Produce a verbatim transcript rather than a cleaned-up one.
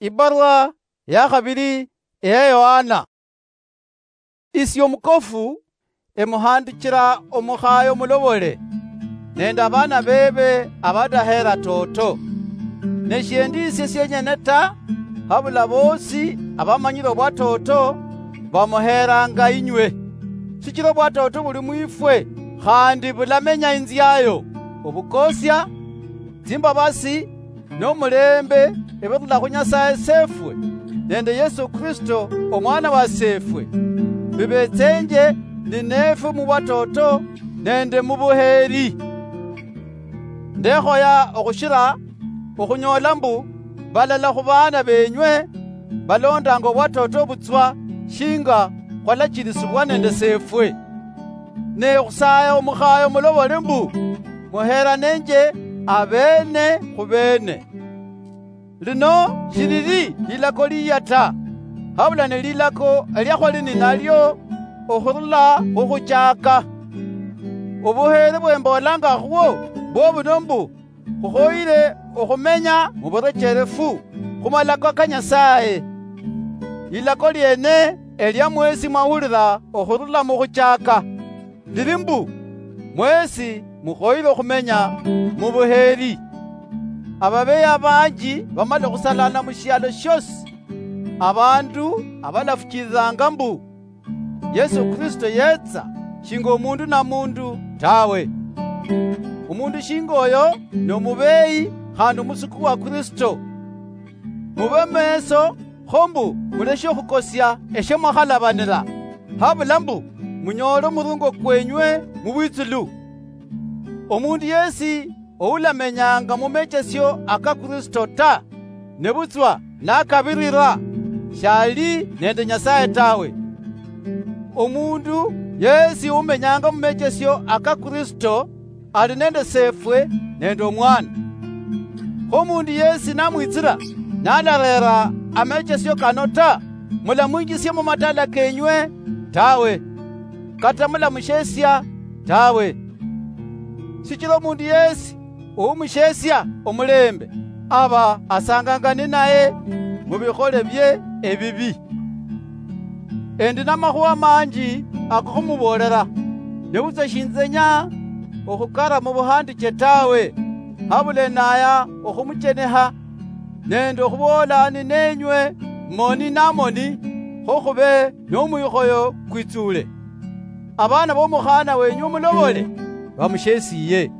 Ibarwa ya khabili eya Yohana. Isi omukofu emuhandichira omukhaayo mulobole, nende abaana bebe abadaheera toto. Ne shiendi isie sienyene ta, habula boosi abamanyire obwa toto bamuheeranga inywe. Sichira obwa toto buli mwifwe, khandi bulamenya inziayo, obukosia, tsimbabasi, nomulembe ebirula khu Nyasaye Sefwe nende Yesu Kristo Omwana wa Sefwe, bibetsenje ninefwe mubwatoto nende mubuheri. Ndekhoya okhushira okhunyola mbu balala khubaana benywe balondanga obwatoto butswa shinga khwalachilisibwa nende Sefwe. Ne khusaya omukhayo mulobole mbu, muheranenje abene khubene. Lino shilili lilako liya ta, habula ni lilako eliakhwali ninalio okhurula khukhuchaka. Obuheere bwembolanga khwo bwobuno mbu, khukhoyire okhumenya muburecherefu khumalako ka Nyasaye. Lilako liene elia mwesi mwahulira okhurula mukhuchaka, lili mbu, mwesi mukhoyire okhumenya mubuheri. Ababeyi abanji bamala okhusalana mushialo shiosi, abandu abalafuchiriranga mbu, Yesu Kristo yetsa shinga omundu na mundu tawe. Omundu shinga oyo nomubeyi khandi omusuku wa Kristo. Mube meso, kho mbu muleshe okhukosia eshe mwakhalabanira, habula mbu munyoole omurungo kwenywe mubwitsulu. Omundu yesi oulamenyanga mumechesio aka Kristo ta, nebutswa nakabirira, shali nende Nyasaye tawe. Omundu yesi umenyanga mumechesio aka Kristo ali nende Sefwe nende Omwana. Kho omundu yesi namwitsira nalarera amechesio kano ta, mulamwinjisia mumatala kenywe tawe, kata mulamushesia tawe. Shichira omundu yesi oumushesia omulembe, aba asanganga ninaye mubikhole bie ebibi. Endi namakhuwa manji akokhumuboolera, nebutswa shinzenya okhukara mubuhandiche tawe, habula enaya okhumuchenekha, nende okhuboola ninenywe moni namoni, kho khube nomwikhoyo kwitsule. Abaana bomukhana wenywe omulobole bamushesiye.